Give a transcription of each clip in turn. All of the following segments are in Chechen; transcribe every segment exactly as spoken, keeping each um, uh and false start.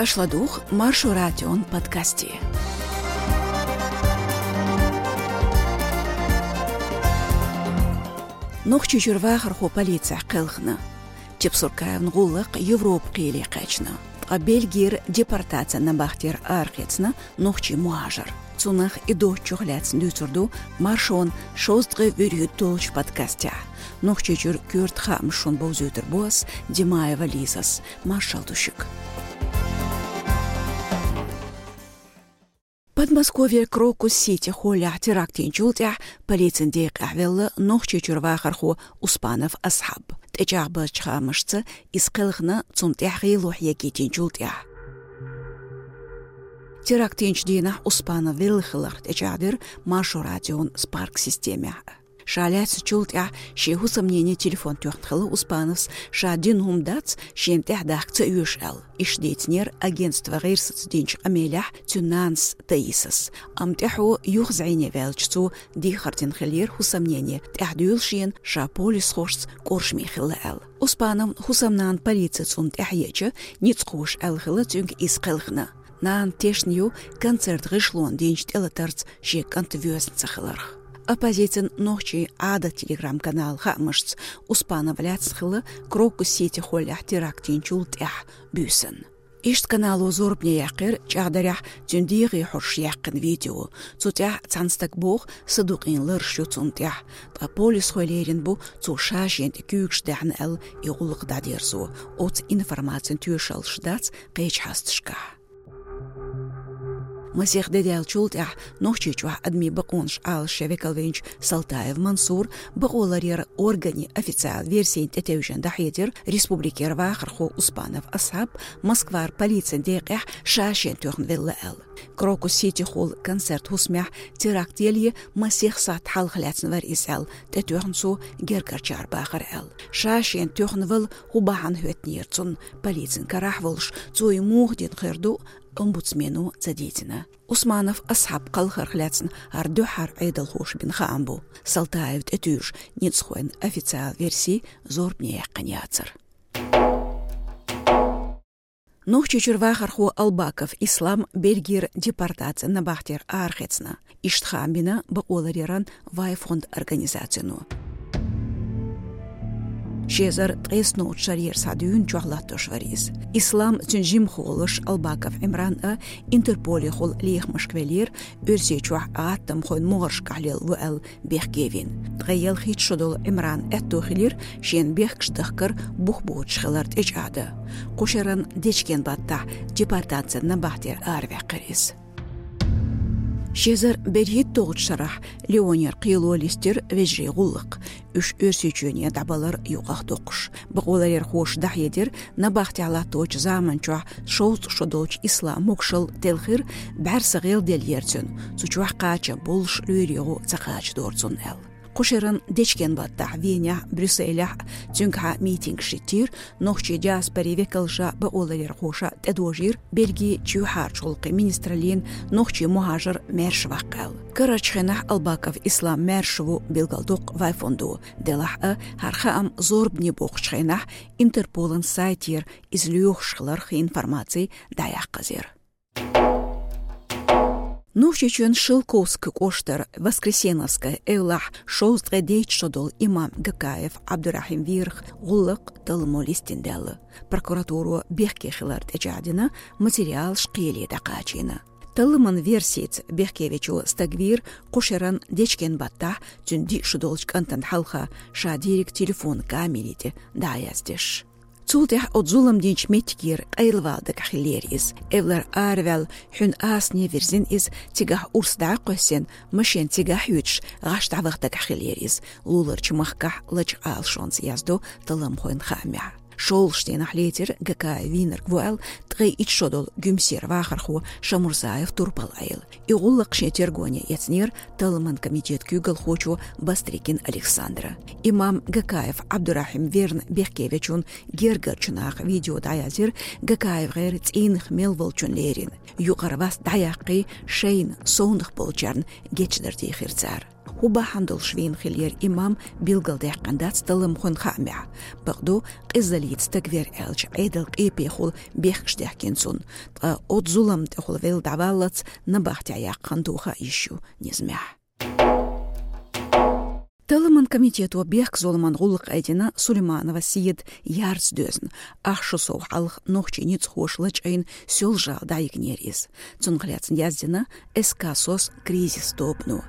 Аша ладугӀу Маршо радион подкасте. Нохчийчуьра вахархо полицехь кхелхина. Чепсуркаевн гӀуллакх Европа кхеле кхаьчна. Ткъа Бельгера депортацин набахтера арахецна нохчий мухӀажар. Цунах и доцчух лаьцна дуьйцур ду Маршон шовзткъе вуьрхӀитталгӀачу подкастехь. Нохчийчуьра коьрта хаамаш шуна бовзуьйтур бу ас, Димаева Лизас. Маршалла ду шуьга. Подмосковье Крокус Сити холлехь теракт йинчул тӀаьхьа полицин декъехь велла Нохчийчуьра вахархо Успанов Асхьаб. ТӀечӀагӀбазчу хаамашца, иза кхелхина цунна тӀехь гӀело хьегийтинчул тӀаьхьа. Теракт йинчу дийнахь Успанов велла хиларх тӀечӀагӀдира Маршо радион Spark системехь. Ша лаьцначул тӀаьхьа шен хӀусамнене телефон тоьхна хилла Успановс, ша дина хӀума дац, шена тӀаьхьадахка ца оьшу аьлла. Иштта дийцинера агентство «ГӀирсаца» динчу къамелехь цуьнан нанас Таисас. Амма тӀаьхьо юха зӀене ваьлча, цо дехар дина хиллера хӀусамнене тӀаьхьадуьйлу шена, ша полисхошца къуршаме хилла аьлла. Успановн хӀусамнана полици цунна тӀаьхьаеъча, ницкъахоша аьлла хилла цуьнга иза кхелхина. Нана тешна ю концерт гӀишлонна динчу тӀелатарца шен кӀант воьзна ца хиларх. Оппозицин «Нохчийн Ӏадат» телеграм-каналан хаамашца, Успанов лаьцна хилла Крокус Сити холлехь теракт йинчул тӀаьхьа буьйсанна. Иштта канало зорбане яьккхира чӀагӀдарехь цуьнан дегӀе хьожуш яьккхина видео. Цу тӀехь цхьана стага боху, садукъийна лараш ю цунна тӀехь. Ткъа полисхой лерина бу цо ша-шена тӀе куьйгаш даьхьна аьлла и гӀуллакх дӀадерзо. Оцу информацин тоьшаллаш дац кхечу хьосташкахь. Масех де даьллачул тӀаьхьа Нохчийчохь адамийн бакъонаш Ӏалашъян векал винчу Салтаев Мансура бакъоларъяран органийн официалан версина тӀетевжина дӀахьедира республикера вахархо Успанов Асхьаб Москвара полицин декъехь ша-шена тоьхна велла аьлла. Крокус Сити холлан концерт хӀусамехь теракт яле масех сахьт хьалха лаьцна вара иза аьлла, тӀетоьхна цо гергарчара бахара аьлла. Ша-шена тоьхна вала хӀун бахьана хӀоьттинера цунна полицин карахь волуш, цо и муха дина хир ду, омбудсмено ца дийцина. Успанов Асхьаб кхалхарх лаьцна хӀара дуьххьара Ӏедалхоша бина хаам бу. Салтаев тӀетуьйжу ницкъахойн официалан верси зорбане яьккхина яцара. Нохчийчуьра вахархо Албаков Ислам Бельгера депортацин набахтера арахецна. Иштта хаам бина бакъоларъяран Вайфонд организацино. Ши эзар ткъеснолгӀачу шарера схьа дуьйна чохь латтош вара иза. Ислам, цуьнан жимахволуш Албаков Ӏимран а Интерполехула лехамашка веллера, Оьрсийчохь гӀаттамхойн могӀаршкахь лелла ву аьлла бехке вина. Ткъе ялхитта шо долу Ӏимран аьтто хилира шена бехкаш дахкар бух боцуш хилар тӀечӀагӀдан. Кху шеран дечкен баттахь депортацин набахтера араваьккхира иза. Ши эзар берхӀитталгӀачу шарахь Лионера кхело листира вежарийн гӀуллакх, уьш Оьрсийчоьне дӀабалар юкъахдоккхуш. Бакъоларъярхоша дӀахьедира, набахтехь латточу заманчохь шовзткъа шо долчу Ислам могушалла телхира, бӀаьрса гӀелделлера цуьнан, цу чохь кхачам боллуш лоьрийн гӀо ца кхачадора цунна аьлла. Кху шеран дечкен баттахь Венехь, Брюсселехь цуьнгахьа митингаш хӀиттийра, нохчийн диаспорин векалша, бакъоларъярхоша тӀедожийра Бельгин чоьхьарчу гӀуллакхийн министраллина нохчийн мухӀажар маьрша ваккха аьлла. Карарчу хенахь Албаков Ислам маьрша ву билгалдоккху Вайфондо, делахь а хӀара хаам зорбане боккхучу хенахь Интерполан сайтера иза лоьхуш хиларх информаци дӀаяккха хезира. Нохчийчоьнан Шелковски кӀоштара Воскресеновская эвлахь шовзткъе дейтта шо долу имам Гакаев Ӏабдурахьим верах гӀуллакх талламо листина даьлла. Прокуратуро бехке хилар тӀечӀагӀдина, материалаш кхеле дӀакхачийна. Талламан версица, бехкевечо стаг вийра кху шеран дечкен баттахь цуьнан диъ шо долчу кӀантана хьалха, ша дийриг телефон камери тӀе дӀаяздеш. Цул тӀаьхьа оцу зулам динчу меттигера къайлавала дагахь хиллера иза. Эвлара араваьлла, хьуьнан асане вирзина иза, цигахь урс дӀакхоьссина, машен цигахь а хьоьцуш, гӀаш дӀаваха дагахь хиллера иза. Луларчу махкахь лачкъа Ӏалашонца яздо талламхойн хаамехь. ШолгӀачу дийнахь лецира Гакаев вийнарг ву аьлла ткъе итт шо долу Гуьмсера вахархо Шамурзаев Турпал-Ӏела. И гӀуллакх шен тергоне эцнера талламан комитетан куьйгалхочо Бастрыкин Александра. Имам Гакаев Ӏабдурахьим верна бехкевечун гергарчу наха видео дӀаязйира, Гакаев гӀайра цӀийнах мел волчун лерина. Юкъара вас дӀаяккхий, шайна совнах болчарна гечдар дийхира цара. ХӀун бахьана долуш вийна хиллера имам, билгалдаьккхина дац талламхойн хаамехь. Бакъду, къизаллица стаг вер аьлча, Ӏедал къепехула бехкаш даьхкина цунна, ткъа оцу зуламна тӀехула велла дӀаваллалц набахтехь яккха хан тоха йиш ю низамехь. Талламан комитето бехк-зуламан гӀуллакх айдина Сулейманова Седа ярца доьзна. Ах шу сов хьалха нохчийн ницкъахоша лачкъийна Соьлжа-ГӀала дӀайигнера иза. Цунах лаьцна яздина СК «СОС» кризис тобано.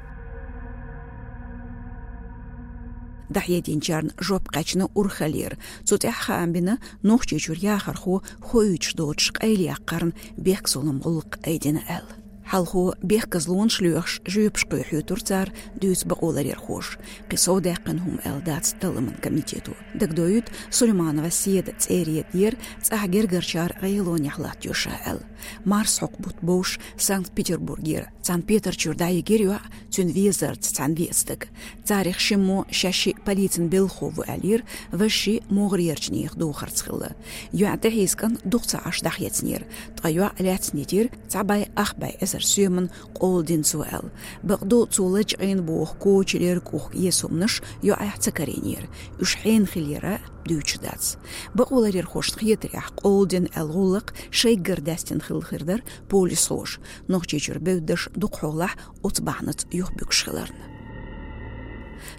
ДӀахьединчарна жоп кхаьчна урхаллера. Цу тӀехь хаам бина, Нохчийчуьра яхархо хоуьйтуш доцуш къайлаяккхарна бехк-зуламан гӀуллакх айдина аьлла. Хьалхо бехказлонаш лоьхуш жоьпаш кхоьхьуьйтура цара, дуьйцу бакъоларъярхоша. Кхин сов даьккхина хӀума аьлла дац талламан комитето. Дагадоуьйту, Сулейманова Седа цӀера едара, цӀахь гергарчара гӀелонехь латтайо ша аьлла. Марсхьокху бутт бовш Санкт-Петербургера цхьана петарчуьра дӀайигира йоӀ цуьнан везарца цхьаьна веа стаг. Царах шиммо шаьш шиъ полицин белхахо ву аьллера, важа шиъ могӀарерчу нехан духарца хилла. ЙоӀ тӀехьийза кӀант дукха ца Ӏаш дӀахецнера, ткъа йоӀ лаьцна йитира, цхьа бӀе ах бӀе эзар соьман къола дина цо аьлла. Бакъду, цо лачкъийна боху коча, лерг, кӀухь, эсомнаш йоӀехь ца карийнера. Уьш хьенан хиллера дуьйцуш дац. Бакъоларъярхошна хетарехь, къола дина аьлла гӀуллакх шайггара даьстина хилла хир дара полисхоша, Нохчийчуьра бевддаш дукхахьолахь оцу бахьанаца юхабуьгуш хиларна.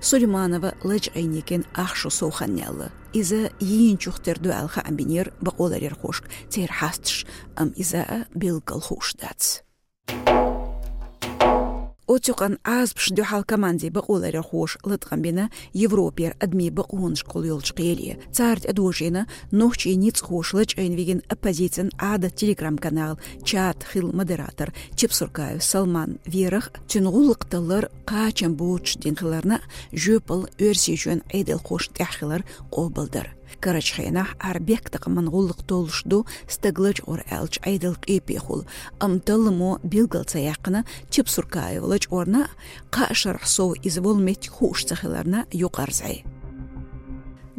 Сулейманова лачкъийна йигна ах шу сов хан яьлла. Иза йийначух тера ду аьлла хаам бинера бакъоларъярхошка церан хьасташа, амма иза а билггал хууш дац. Оцу юкъанна Ӏазапашна дуьхьал командин бакъоларъярхоша латкъам бина Европера адамийн бакъонашкахула йолчу кхеле. Цара тӀедожийна нохчийн ницкъахоша лачкъийна вигина оппозицин «Ӏадат» телеграм-каналан чатан хилла модератор Чепсуркаев Салман верах а, цуьнан гӀуллакх таллар кхачам боцуш дина хиларна а, жоьпалла Оьрсийчоьнан Ӏедалхошна тӀехь хилар къобалдар. Карарчу хенахь хӀара бехктакхаман гӀуллакх толлуш ду стаг лачкъор аьлча Ӏедал къепехула, амма талламо билгал ца яьккхина Чепсуркаев лачкъорна а, кхаа шарахь сов иза волу меттиг хууш ца хиларна а юкъара зӀе.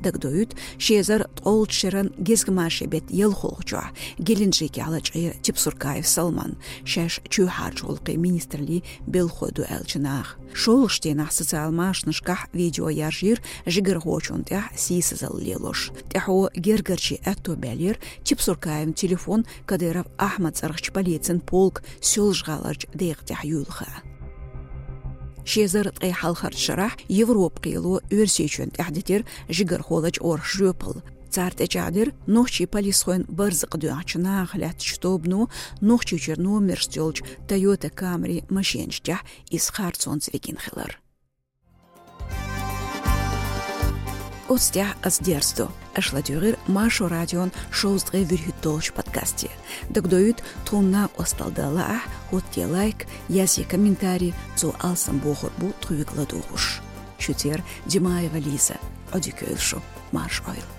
Дагадоуьйту, ши эзар ткъолгӀачу шеран гезгмашин беттан ялхолгӀачохь Геленджикехь лачкъийра Чепсуркаев Салман, шаьш чоьхьарчу гӀуллакхийн министраллин белхахой ду аьллачу наха. ШолгӀачу дийнахь социал машанашкахь видео яржийра жигархочунна тӀехь сийсазалла лелош. ТӀаьхьо гергарчийн аьтто баьллера Чепсуркаевн телефон Кадыров Ахьмадан цӀарахчу полицин полкан Соьлжа-ГӀаларчу декъа тӀехь юйла хаа. Ши эзар ткъе хьалхарчу шарахь Европан кхело Оьрсийчоьнна тӀехь дитира жигархо лачкъорах жоьпалла. Цара тӀечӀагӀдира нохчийн полисхойн барзакъ доьгӀначу нахах лаьттачу тобано Нохчийчуьра номерашца йолчу Toyota Camry машенаш тӀехь иза харцонца вигина хилар. Оцу тӀехь ас дерзадо. Аша ладуьйгӀира Маршо радион шовзткъе вуьрхӀитталгӀачу подкасте. Дагадоуьйту, тхуна накъосталла дан лаахь, хӀоттае лайк, язъе комментарий, цо алсам бохург бу тхоьга ладугӀуш. Шуьца яра Димаева Лиза. Ӏодика йойла шу, марша Ӏойла.